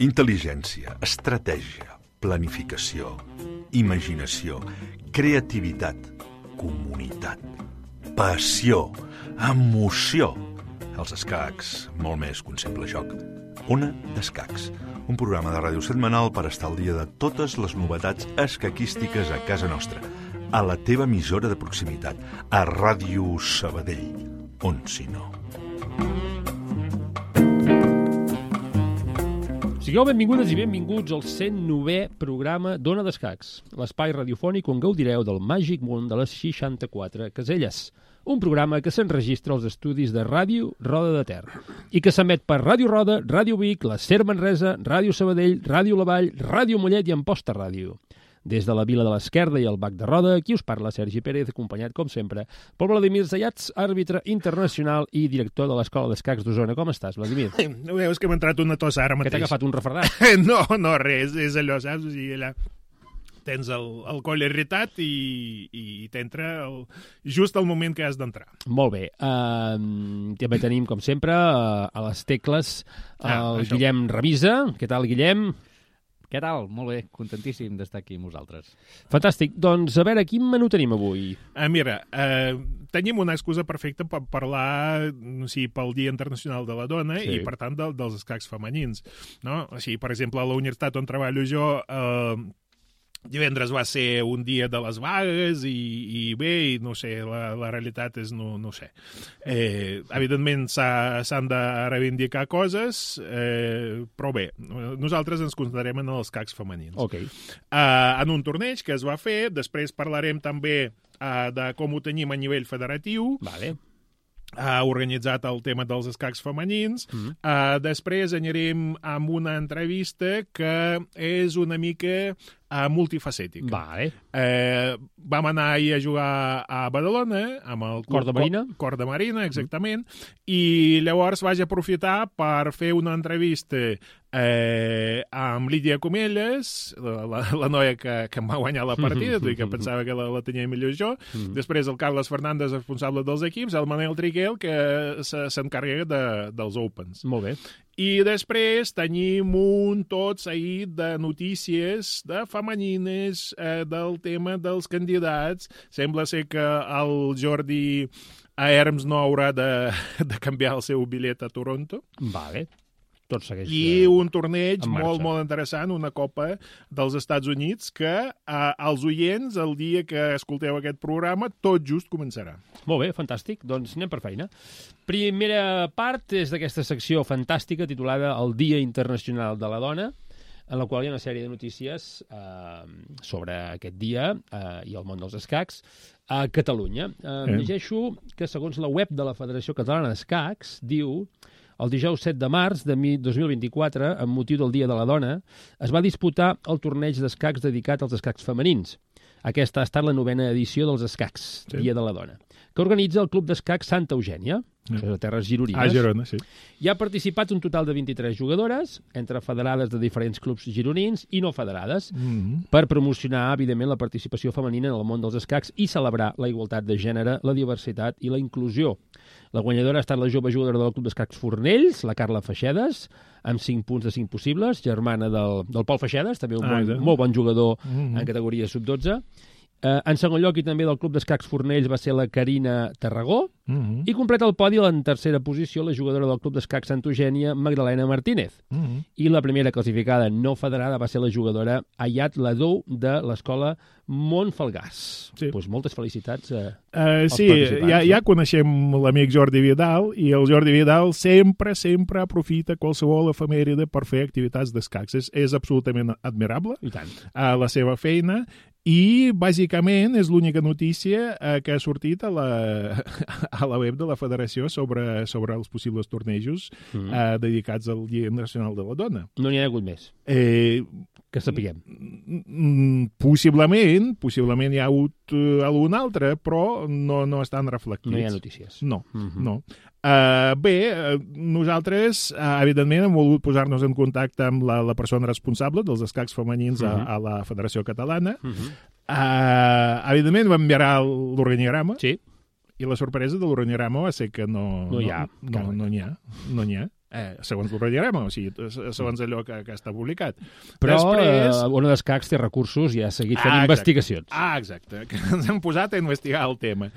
Intel·ligència, estratègia, planificació, imaginació, creativitat, comunitat, passió, emoció. Els escacs, molt més que un simple joc. Ona d'Escacs, un programa de ràdio setmanal per estar al dia de totes les novetats escaquístiques a casa nostra, a la teva emissora de proximitat, a Ràdio Sabadell, on si no. Sigueu benvingudes i benvinguts al 109è programa d'Ona d'Escacs, l'espai radiofònic on gaudireu del màgic món de les 64 caselles. Un programa que s'enregistra als estudis de Ràdio Roda de Ter i que s'emet per Ràdio Roda, Ràdio Vic, la Ser Manresa, Ràdio Sabadell, Ràdio La Vall, Ràdio Mollet i Amposta Ràdio. Des de la Vila de l'Esquerda i el Bac de Roda, aquí us parla Sergi Pérez, acompanyat, com sempre, per Vladimir Zayats, àrbitre internacional i director de l'Escola d'Escacs d'Osona. Com estàs, Vladimir? No veus que m'ha entrat una tos ara mateix? Que t'ha agafat un refredat? No, res, és allò, saps? O sigui, allà tens el coll irritat i t'entra just al moment que has d'entrar. Molt bé. També tenim, com sempre, a les tecles el Guillem Revisa. Què tal, Guillem? Què tal? Molt bé, contentíssim d'estar aquí amb vosaltres. Fantàstic. Doncs, a veure, quin menú tenim avui? Mira, tenim una excusa perfecta per parlar, pel Dia Internacional de la Dona i, per tant, dels escacs femenins. No? Així, per exemple, a la universitat on treballo jo, divendres va ser un dia de les vagues i bé, no sé, la realitat és, no sé. Evidentment s'han de reivindicar coses, però bé, nosaltres ens concentrarem en els escacs femenins. Okay. En un torneig que es va fer, després parlarem també de com ho tenim a nivell federatiu. Vale. Ha organitzat el tema dels escacs femenins. Després anirem amb una entrevista que és una mica multifacètica. Vale. Vam anar ahir a jugar a Badalona amb el Cor de Marina. Cor de Marina, exactament. I llavors vaig aprofitar per fer una entrevista amb Lídia Comelles, la noia que em va guanyar la partida, tot i que pensava que la tenia millor jo. Després el Carles Fernández, responsable dels equips, el Manel Triguel, que s'encarrega dels Opens. Molt bé. I després tenim un tot seguit de notícies de femenines, del tema dels candidats. Sembla ser que el Jordi Herms no haurà de canviar el seu bitllet a Toronto. Vale. Tot segueix I un torneig molt, molt interessant, una Copa dels Estats Units, que als oients, el dia que escolteu aquest programa, tot just començarà. Molt bé, fantàstic. Doncs anem per feina. Primera part és d'aquesta secció fantàstica titulada El Dia Internacional de la Dona, en la qual hi ha una sèrie de notícies sobre aquest dia i el món dels escacs a Catalunya. Llegeixo que, segons la web de la Federació Catalana d'Escacs, diu: el dijous 7 de març de 2024, amb motiu del Dia de la Dona, es va disputar el torneig d'escacs dedicat als escacs femenins. Aquesta ha estat la 9ª edició dels escacs, Dia de la Dona, que organitza el Club d'Escacs Santa Eugènia, que és a terres gironines. Girona, sí. Hi ha participat un total de 23 jugadores, entre federades de diferents clubs gironins i no federades, per promocionar, evidentment, la participació femenina en el món dels escacs i celebrar la igualtat de gènere, la diversitat i la inclusió. La guanyadora ha estat la jove jugadora del Club d'Escacs Fornells, la Carla Feixedes, amb 5 punts de 5 possibles, germana del Pol Feixedes, també un molt bon jugador en categoria sub-12. En segon lloc, i també del Club d'Escacs Fornells, va ser la Carina Tarragó, i completa el podi en tercera posició la jugadora del Club d'Escacs Santa Eugènia, Magdalena Martínez. I la primera classificada no federada va ser la jugadora Ayat Ladou de l'escola Montfalgàs. Pues moltes felicitats als participants. Ja coneixem l'amic Jordi Vidal, i el Jordi Vidal sempre aprofita qualsevol efemèride per fer activitats d'escacs. És absolutament admirable. I tant. La seva feina. I, bàsicament, és l'única notícia que ha sortit a la web de la Federació sobre els possibles tornejos dedicats al Dia Nacional de la Dona. No n'hi ha hagut més, que sapiguem. Possiblement hi ha hagut algun altre, però no estan reflectits. No hi ha notícies. No. Bé, nosaltres, evidentment, hem volgut posar-nos en contacte amb la persona responsable dels escacs femenins a la Federació Catalana. Evidentment va enviar l'organigrama. Sí. I la sorpresa de l'organigrama va ser que no n'hi ha. Segons l'organigrama, o sigui, segons allò que està publicat. Però després... Ona d'Escacs té recursos i ha seguit fent investigacions. Exacte, que ens hem posat a investigar el tema.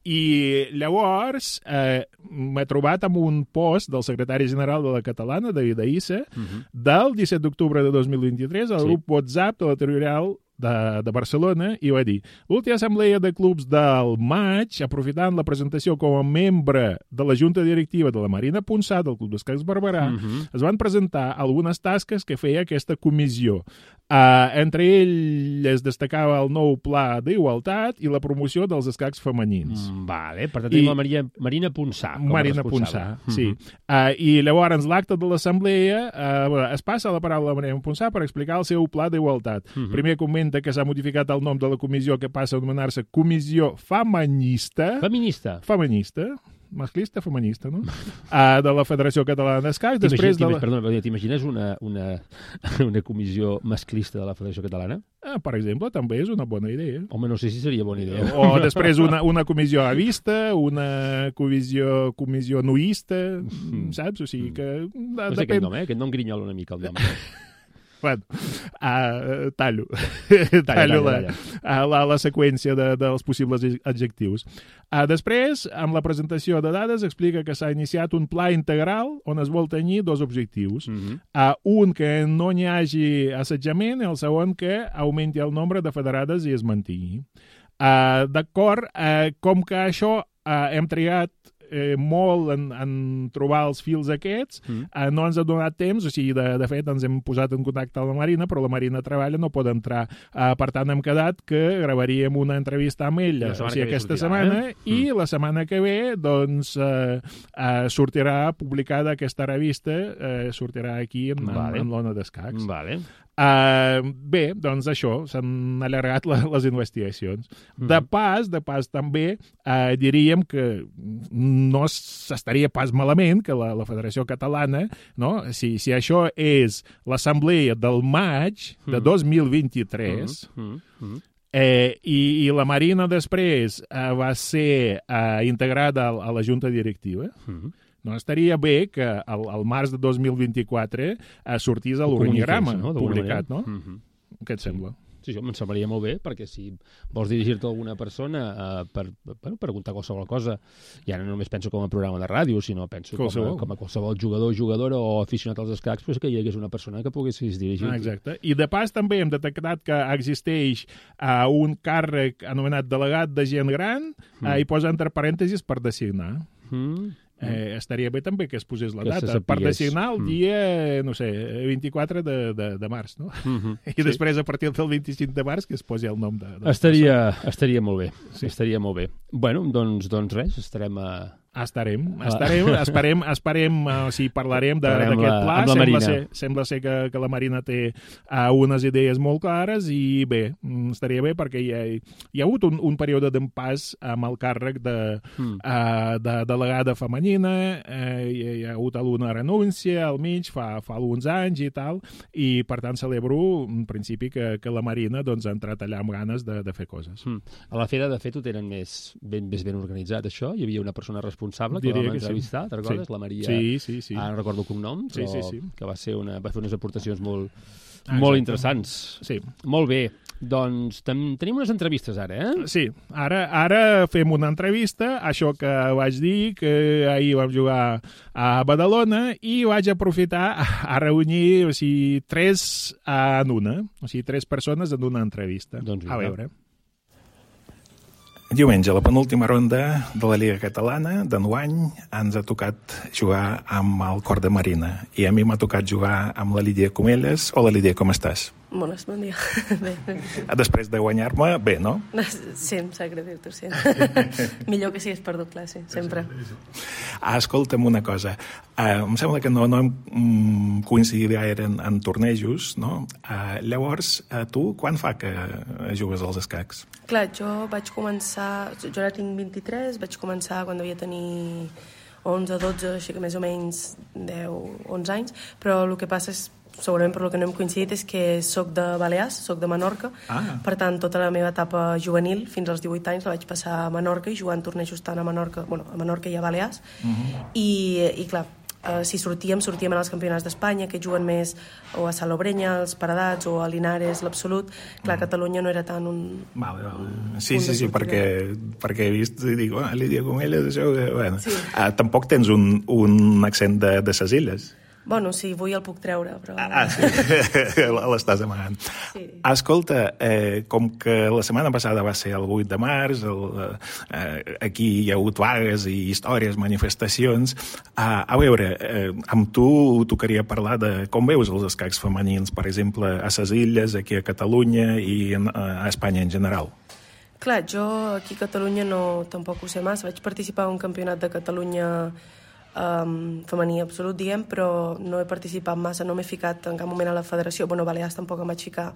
I llavors m'he trobat amb un post del secretari general de la Catalana, David Aïssa, del 17 d'octubre de 2023, al grup WhatsApp de la Territorial de Barcelona, i va dir: l'última assemblea de clubs del maig, aprofitant la presentació com a membre de la junta directiva de la Marina Ponsà, del Club d'Escacs Barberà, es van presentar algunes tasques que feia aquesta comissió. Entre elles destacava el nou pla d'igualtat i la promoció dels escacs femenins. Vale, per tant tenim la Marina Ponsà com a responsable. Ponsà, sí. I llavors l'acte de l'assemblea es passa la paraula a Marina Ponsà per explicar el seu pla d'igualtat. Primer comenta que s'ha modificat el nom de la comissió, que passa a anomenar-se Comissió Feminista. Masclista, feminista, no? De la Federació Catalana d'Escacs. Perdona, t'imagines una comissió masclista de la Federació Catalana? Per exemple, també és una bona idea. Home, no sé si seria bona idea. O després una comissió avista, una comissió nuista, saps? O sigui que... No sé aquest nom, aquest nom grinyola una mica, el nom. Bueno, tallo la seqüència dels possibles adjectius. Després, amb la presentació de dades, explica que s'ha iniciat un pla integral on es vol tenir dos objectius. Un, que no n'hi hagi assetjament, i el segon, que augmenti el nombre de federades i es mantingui. D'acord, com que això hem triat molt en trobar els fils aquests, no ens ha donat temps, o sigui, de fet ens hem posat en contacte amb la Marina, però la Marina treballa, no pot entrar. Per tant, hem quedat que gravaríem una entrevista amb ella aquesta setmana, i la setmana que ve doncs sortirà publicada aquesta revista, sortirà aquí en l'Ona d'Escacs. Bé, doncs això, s'han allargat les investigacions. De pas també diríem que no s'estaria pas malament que la Federació Catalana, no? Si això és l'assemblea del maig de 2023 i la Marina després va ser integrada a la junta directiva, no estaria bé que al març de 2024 sortís a l'organigrama publicat, no? Què et sembla? Sí, això em semblaria molt bé, perquè si vols dirigir-te a alguna persona per preguntar qualsevol cosa, ja no només penso com a programa de ràdio, sinó penso com a qualsevol jugador, jugadora o aficionat als escacs, pues que hi hagués una persona que poguessis dirigir. Exacte. I de pas també hem detectat que existeix un càrrec anomenat delegat de gent gran i posa entre parèntesis per designar. Estaria bé també que es posés la data per designar el dia, no sé, 24 de març, no? I després, a partir del 25 de març, que es posi el nom de... Estaria molt bé, estaria molt bé. Bueno, doncs res, estarem esperem, o sigui, parlarem d'aquest pla. Sembla ser que la Marina té unes idees molt clares i bé, estaria bé perquè hi ha hagut un període d'empàs amb el càrrec de delegada femenina, hi ha hagut alguna renúncia al mig fa alguns anys i tal, i per tant celebro en principi que la Marina doncs, ha entrat allà amb ganes de fer coses. A la Fera, de fet, ho tenen més ben organitzat, això? Hi havia una persona responsable que vam entrevistar, te'n recordes? La Maria, ara no recordo el cognom, però que va fer unes aportacions molt interessants. Sí. Molt bé. Doncs tenim unes entrevistes ara, eh? Sí, ara fem una entrevista, això que vaig dir, que ahir vam jugar a Badalona, i vaig aprofitar a reunir, o sigui, 3 en una, o sigui, 3 persones en una entrevista. Doncs a veure. Diumenge, la penúltima ronda de la Lliga Catalana d'enguany, ens ha tocat jugar amb el Cor de Marina, i a mi m'ha tocat jugar amb la Lídia Comelles. Hola, Lídia, com estàs? Bones, bon dia. Bé. Després de guanyar-me, bé, no? Sí, em sap greu dir-t'ho, sí. Millor que siguis perdut classe, sempre. Escolta'm una cosa. Em sembla que no hem coincidit gaire en tornejos, no? Llavors, tu, quan fa que jugues als escacs? Clar, jo vaig començar... Jo ara tinc 23, vaig començar quan devia tenir 11 o 12, així que més o menys 10, 11 anys, però el que passa és segurament per lo que no hem coincidit, és que soc de Balears, soc de Menorca, per tant, tota la meva etapa juvenil, fins als 18 anys, la vaig passar a Menorca i jugant tornejos tant a Menorca, a Menorca i a Balears, i clar, si sortíem en els campionats d'Espanya, que juguen més o a Salobreña, als Paredats, o a Linares, l'Absolut. Clar, Catalunya no era tant un... Vale. Sí, perquè he vist i dic, Lídia Comelles, això... Bueno. Sí. Tampoc tens un accent de ses illes. Bueno, sí, avui el puc treure, però... Sí, l'estàs amagant. Sí. Escolta, com que la setmana passada va ser el 8 de març, aquí hi ha hagut vagues i històries, manifestacions. A veure, amb tu tocaria parlar de com veus els escacs femenins, per exemple, a ses illes, aquí a Catalunya i a Espanya en general. Clar, jo aquí a Catalunya tampoc ho sé massa. Vaig participar en un campionat de Catalunya femení absolut, diguem, però no he participat massa, no m'he ficat en cap moment a la federació. Bueno, Balears tampoc em vaig ficar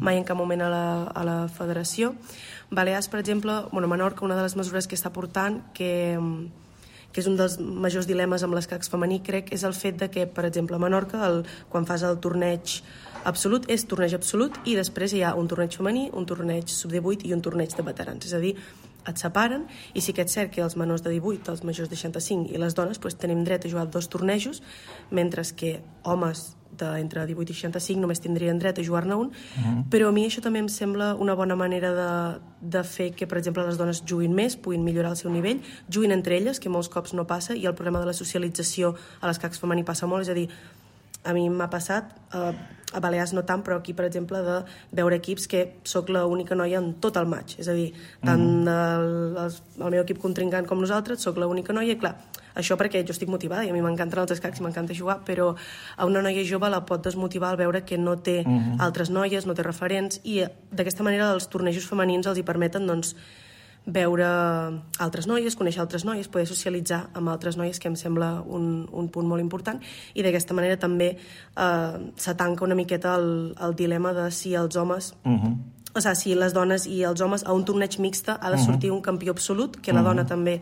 mai en cap moment a la federació. Balears, per exemple, Menorca, una de les mesures que està portant, que és un dels majors dilemes amb l'escacs femení, crec, és el fet de que, per exemple, a Menorca, quan fas el torneig absolut, és torneig absolut, i després hi ha un torneig femení, un torneig sub-18 i un torneig de veterans. És a dir, et separen, i sí que és cert que els menors de 18, els majors de 65 i les dones tenim dret a jugar 2 tornejos, mentre que homes d'entre 18 i 65 només tindrien dret a jugar-ne un, però a mi això també em sembla una bona manera de fer que, per exemple, les dones juguin més, puguin millorar el seu nivell, juguin entre elles, que molts cops no passa, i el problema de la socialització a l'escacs femení passa molt, és a dir, a mi m'ha passat, a Balears no tant, però aquí, per exemple, de veure equips que sóc l'única noia en tot el match, és a dir, tant el meu equip contrincant com nosaltres, sóc l'única noia, i clar, això perquè jo estic motivada i a mi m'encanten els escacs i m'encanta jugar, però a una noia jove la pot desmotivar al veure que no té altres noies, no té referents, i d'aquesta manera els tornejos femenins els hi permeten, doncs, veure altres noies, conèixer altres noies, poder socialitzar amb altres noies, que em sembla un punt molt important, i d'aquesta manera també s'atanca una miqueta el dilema de si els homes, o sigui, si les dones i els homes a un torneig mixte ha de sortir un campió absolut, que la dona també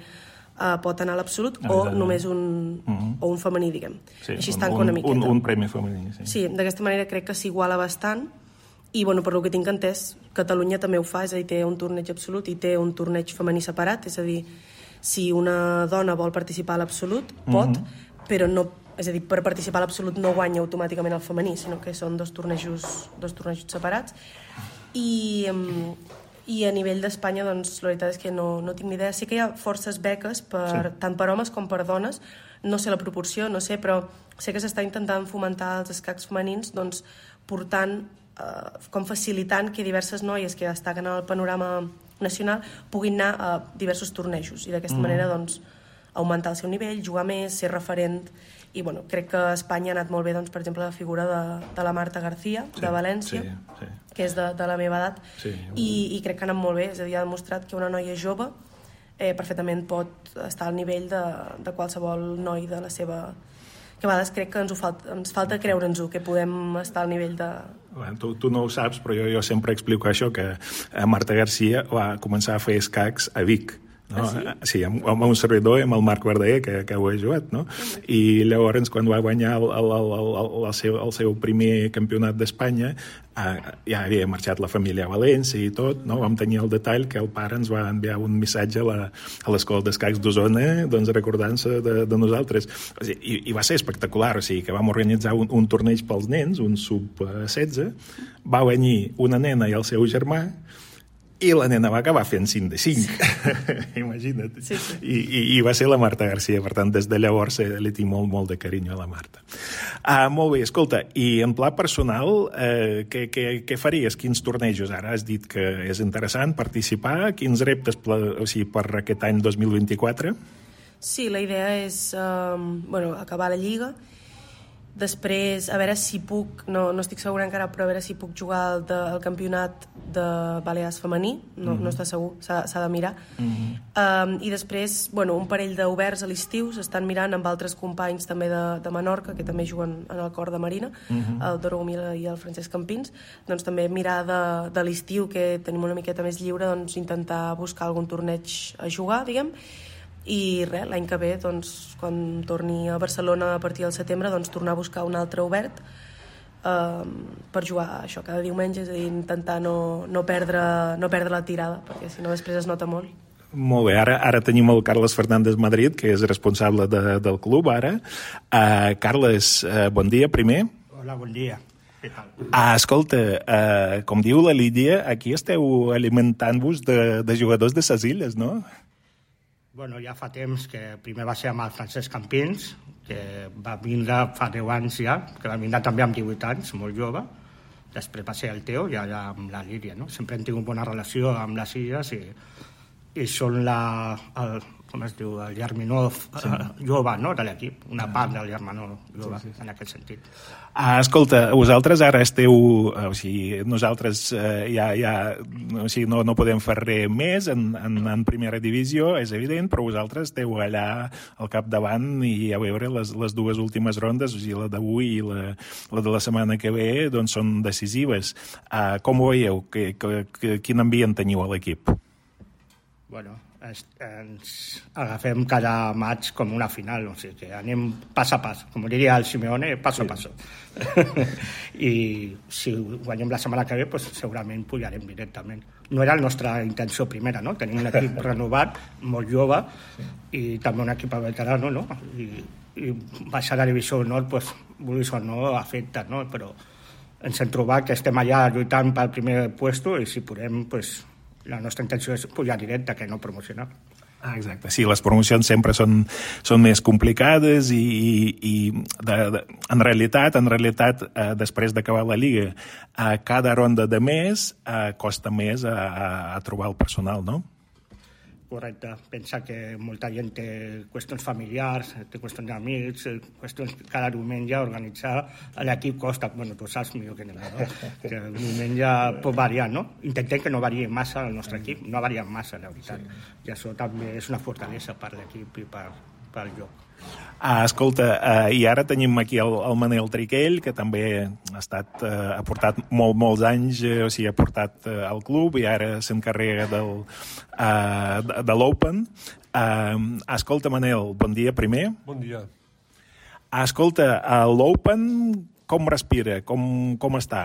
pot anar a l'absolut, o només un femení, diguem. Així es tanca una miqueta. Un premi femení, sí. Sí, d'aquesta manera crec que s'iguala bastant, i per lo que tinc entès, Catalunya també ho fa, és a dir, té un torneig absolut i té un torneig femení separat, és a dir, si una dona vol participar a l'absolut, pot, però no, és a dir, per participar a l'absolut no guanya automàticament el femení, sinó que són dos tornejos separats. I a nivell d'Espanya, doncs, la veritat és que no tinc ni idea. Sí que hi ha forces beques, tant per homes com per dones, no sé la proporció, no sé, però sé que s'està intentant fomentar els escacs femenins, doncs, portant com facilitant que diverses noies que destaquen al panorama nacional puguin anar a diversos tornejos i d'aquesta manera doncs, augmentar el seu nivell, jugar més, ser referent, i crec que a Espanya ha anat molt bé, doncs, per exemple, la figura de la Marta García, de València, que és de la meva edat, i crec que ha anat molt bé, és a dir, ha demostrat que una noia jove perfectament pot estar al nivell de qualsevol noi de la seva... que a vegades crec que ens falta creure'ns-ho, que podem estar al nivell de... Bueno, tu no ho saps, però jo sempre explico això, que Marta García va començar a fer escacs a Vic. No? Sí, amb un servidor, amb el Marc Verdaguer, que ho he jugat, no? I llavors, quan va guanyar el seu primer campionat d'Espanya, ja havia marxat la família a València i tot, no? Vam tenir el detall que el pare ens va enviar un missatge a l'escola d'escacs d'Osona, doncs recordant-se de nosaltres. O sigui, i va ser espectacular, o sigui, que vam organitzar un torneig pels nens, un sub-16, va venir una nena i el seu germà, i la nena va acabar fent 5 de 5. Imagina't. Sí. I va ser la Marta García, per tant, des de llavors li tinc molt de carinyo a la Marta. Molt bé, escolta, i en pla personal, què faries? Quins tornejos? Ara has dit que és interessant participar. Quins reptes per aquest any 2024? Sí, la idea és acabar la Lliga. Després, a veure si puc, no estic segura encara, però a veure si puc jugar el campionat de Balears femení, no està segur, s'ha de mirar. I després, un parell d'oberts a l'estiu, s'estan mirant amb altres companys també de Menorca, que també juguen en el cor de Marina, el Doro Humila i el Francesc Campins, doncs també mirar de l'estiu, que tenim una miqueta més lliure, doncs intentar buscar algun torneig a jugar, diguem. I res, l'any que ve, doncs, quan torni a Barcelona a partir del setembre, doncs tornar a buscar un altre obert per jugar això cada diumenge, és a dir, intentar no perdre la tirada, perquè si no després es nota molt. Molt bé, ara tenim el Carles Fernández Madrid, que és responsable del club ara. Carles, bon dia primer. Hola, bon dia. Què tal? Escolta, com diu la Lídia, aquí esteu alimentant-vos de jugadors de ses illes, no? Bueno, ja fa temps que primer va ser amb el Francesc Campins, que va vindre fa 10 anys ja, que va vindre també amb 18 anys, molt jove. Després va ser el Teo i ara amb la Lídia, no? Sempre hem tingut bona relació amb les illes i són com es diu, el germanor jove, no?, de l'equip, una part del germanor jove, en aquest sentit. Escolta, vosaltres ara esteu... O sigui, nosaltres no podem fer res més en primera divisió, és evident, però vosaltres esteu allà al capdavant i a veure les dues últimes rondes, o sigui, la d'avui i la de la setmana que ve, doncs són decisives. Com ho veieu? Quin ambient teniu a l'equip? Bueno, ens agafem cada maig com una final, o sigui que anem pas a pas, com diria el Simeone, paso a paso. I si guanyem la setmana que ve, pues, segurament pujarem directament. No era la nostra intenció primera, no? Tenim un equip renovat, molt jove, i també un equip veterano, no? I baixar a la divisió nord, pues, vulguis o no, afecta, no? Però ens hem trobat que estem allà lluitant pel primer puesto i si podem, pues, la nostra intenció és pujar directe, que no promocionar. Exacte, sí, les promocions sempre són més complicades i en realitat, després d'acabar la Lliga, cada ronda de més costa més a trobar el personal, no? Correcte. Pensa que molta gent té qüestions familiars, té qüestions d'amics, qüestions cada diumenge organitzar l'equip costa. Bueno, tu saps millor que ningú, no? Que el diumenge pot variar, no? Intentem que no variï massa el nostre equip, no varia massa, la veritat. I això també és una fortalesa per l'equip i pel joc. Escolta, i ara tenim aquí el Manel Triquell, que també ha portat molts anys, o sigui, ha portat al club i ara s'encarrega de l'Open. Escolta, Manel, bon dia primer. Bon dia. Escolta, l'Open com respira? Com està?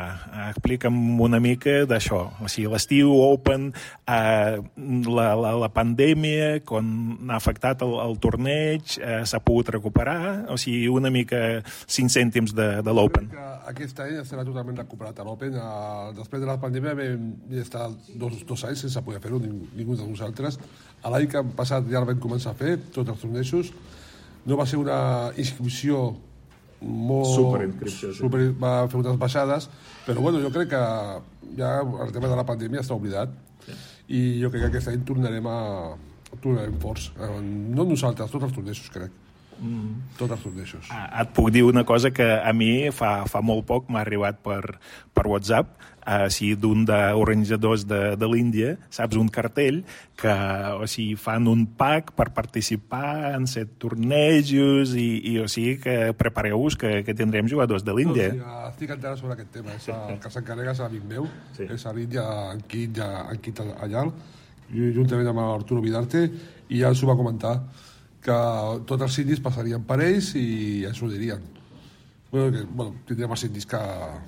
Explica'm una mica d'això. O sigui, l'estiu, Open, la pandèmia, quan ha afectat el torneig, s'ha pogut recuperar? O sigui, una mica 5 cèntims de l'Open. Aquest any estarà totalment recuperat a l'Open. Després de la pandèmia vam estar dos anys sense poder fer-ho, ningú de nosaltres. L'any que han passat ja el vam començar a fer, tots els tornejos. No va ser una inscripció Superinscripció, sí. Va fer unes baixades, però bueno, jo crec que ja el tema de la pandèmia està oblidat, sí. I jo crec que aquest any tornarem forts, no nosaltres, tots els tornejos, crec. Tots els tornejos. Et puc dir una cosa que a mi fa molt poc m'ha arribat per WhatsApp, d'un d'organitzadors de l'Índia, saps, un cartell que fan un pack per participar en 7 tornejos i o sigui que prepareu-vos que tindrem jugadors de l'Índia. No, sí, estic enterat sobre aquest tema. El que s'encarrega és l'amic meu, sí. És a l'Índia, en Quit allà, juntament amb Arturo Vidarte, i ja ens ho va comentar que tots els indis passarien per ells i ens ho dirien. Bueno, tindrem els indis que a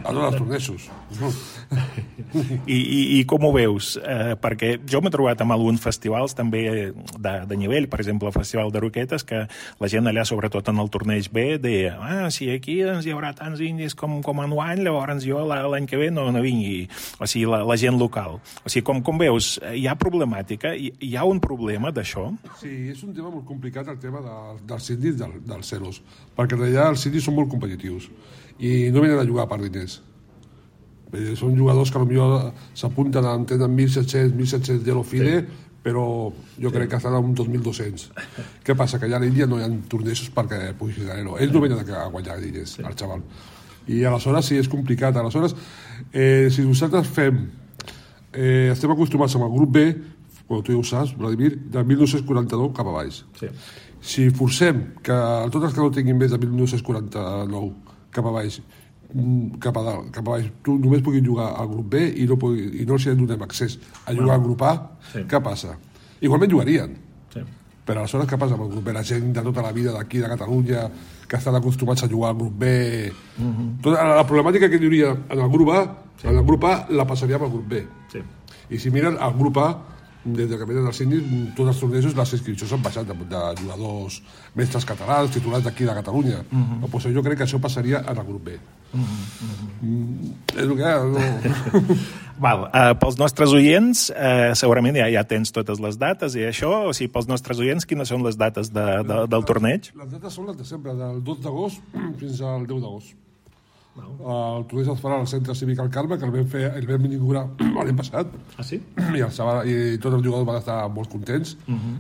tots els tornejos. I com ho veus? Perquè jo m'he trobat amb alguns festivals també de nivell, per exemple el Festival de Roquetes, que la gent allà, sobretot en el torneig B, deia, si aquí hi haurà tants indis com enguany, llavors jo l'any que ve no vingui. O sigui, la gent local. O sigui, com veus, hi ha problemàtica? Hi ha un problema d'això? Sí, és un tema molt complicat, el tema dels indis dels ceros, perquè en realitat els indis són molt competitius i no venen a jugar per diners. Són jugadors que potser s'apunten a tenen 1.700 de l'Ofide, però jo crec que estan a un 2.200. Què passa? Que allà a l'Índia no hi ha tornejos perquè puguis guanyar-lo. Ells no venen a guanyar diners, el xaval. I aleshores sí, és complicat. Aleshores, si nosaltres estem acostumats amb el grup B, com tu ja ho saps, Vladimir, de 1949 cap a baix. Sí. Si forcem que tots els que no tinguin més de 1949 cap a baix, cap a dalt, cap a baix, tu només puguin jugar al grup B i no els donem accés a jugar al grup A, sí. Què passa? Igualment jugarien, sí. però aleshores què passa amb el grup B? La gent de tota la vida d'aquí, de Catalunya, que estan acostumats a jugar al grup B... Tota la problemàtica que hi hauria en el grup A, en el grup A la passaríem al grup B. Sí. I si miren el grup A, des que venen els síndics, tots els tornejos, les inscripcions han baixat de jugadors mestres catalans, titulars d'aquí de Catalunya. Pues jo crec que això passaria en el grup B. És el que hi ha, no? Val, pels nostres oients, segurament ja tens totes les dates i això, o sigui, pels nostres oients, quines són les dates del torneig? Les dates són les de sempre, del 2 d'agost fins al 10 d'agost. El torneig es farà al Centre Cívic al Carme, que el vam inaugurar l'any passat. Ah, sí? I tots els jugadors van estar molt contents.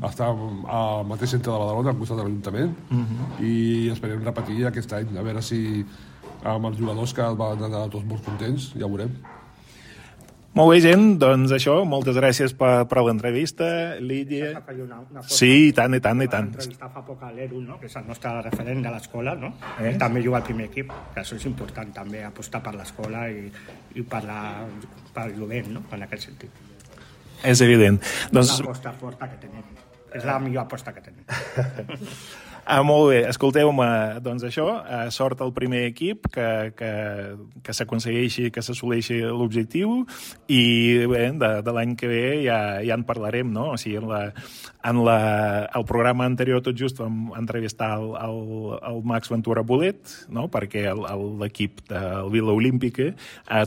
Estàvem al mateix centre de Badalona, al costat de l'Ajuntament, i esperem repetir aquest any, a veure si amb els jugadors que van anar tots molt contents, ja ho veurem. Molt bé, gent, doncs això, moltes gràcies per l'entrevista, Lídia. Sí, i tant. Vam entrevistar fa poc a l'Eru, no? Que és el nostre referent de l'escola, no? Ell també juga al primer equip, que això és important també, apostar per l'escola i per el jovent, no? En aquest sentit. És evident. És l'aposta forta que tenim. És la millor aposta que tenim. Molt bé, escolteu-me, doncs això, sort al primer equip, que s'aconsegueixi, que s'assoleixi l'objectiu, i bé, de l'any que ve ja en parlarem, no? O sigui, al programa anterior tot just vam entrevistar el Max Ventura Bolet, no? Perquè l'equip del Vila Olímpica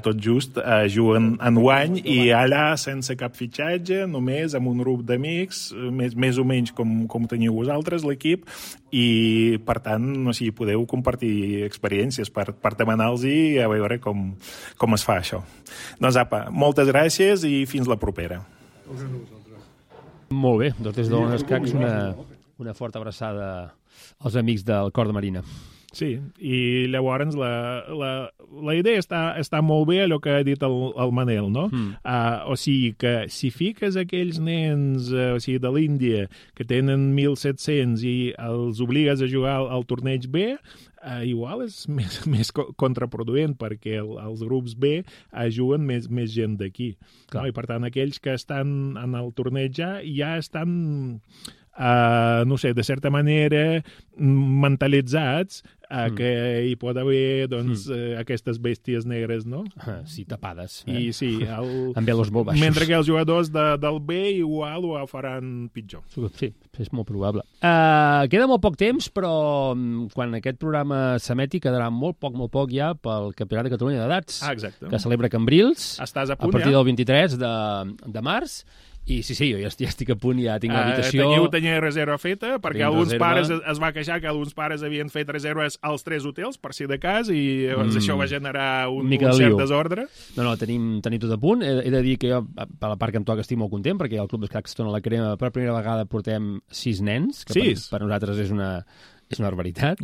tot just juguen enguany i allà sense cap fitxatge, només amb un grup d'amics, més o menys com teniu vosaltres, l'equip, i per tant, o sigui, podeu compartir experiències per demanar-los i a veure com es fa això. Doncs apa, moltes gràcies i fins la propera. Molt bé, doncs des d'On Escacs una forta abraçada als amics del Cor de Marina. Sí, i llavors la idea està molt bé, allò que ha dit el Manel, no? O sigui que si fiques aquells nens de l'Índia que tenen 1.700 i els obligues a jugar al torneig B, igual és més contraproduent, perquè els grups B juguen més gent d'aquí. No? I per tant, aquells que estan en el torneig ja estan... no sé, de certa manera mentalitzats que hi pot haver doncs, aquestes bèsties negres, no? Sí, tapades. I sí, amb velos molt baixos. Mentre que els jugadors del B igual ho faran pitjor. Sí, és molt probable. Queda molt poc temps, però quan aquest programa s'emeti quedarà molt poc ja pel Campionat de Catalunya d'Edats, que celebra Cambrils a partir del 23 de març. I sí, jo ja estic a punt, ja tinc l'habitació. Tenia reserva feta, perquè alguns pares es va queixar que alguns pares havien fet reserves als 3 hotels, per si de cas, i llavors això va generar un cert desordre. No, tenim tot a punt. He de dir que jo, per la part que em toca, estic molt content, perquè al Club d'Escacs Tona la Crema per primera vegada portem 6 nens, que per nosaltres és una barbaritat.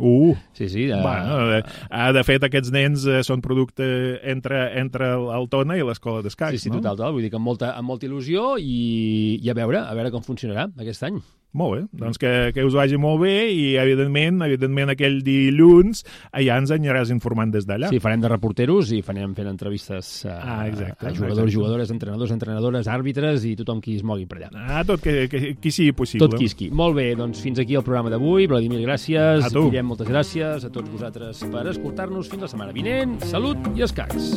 Sí. De fet, aquests nens són producte entre el Tona i l'escola d'escacs. Sí, total. Vull dir que amb molta il·lusió i a veure com funcionarà aquest any. Molt bé, doncs que us vagi molt bé i evidentment aquell dilluns ja ens aniràs informant des d'allà. Sí, farem de reporteros i farem fent entrevistes a jugadors, jugadores, entrenadores, àrbitres i tothom qui es mogui per allà. Tot qui sigui possible. Tot qui. Molt bé, doncs fins aquí el programa d'avui. Vladimir, gràcies. Guillem, moltes gràcies. A tots vosaltres per escoltar-nos. Fins la setmana vinent. Salut i escacs.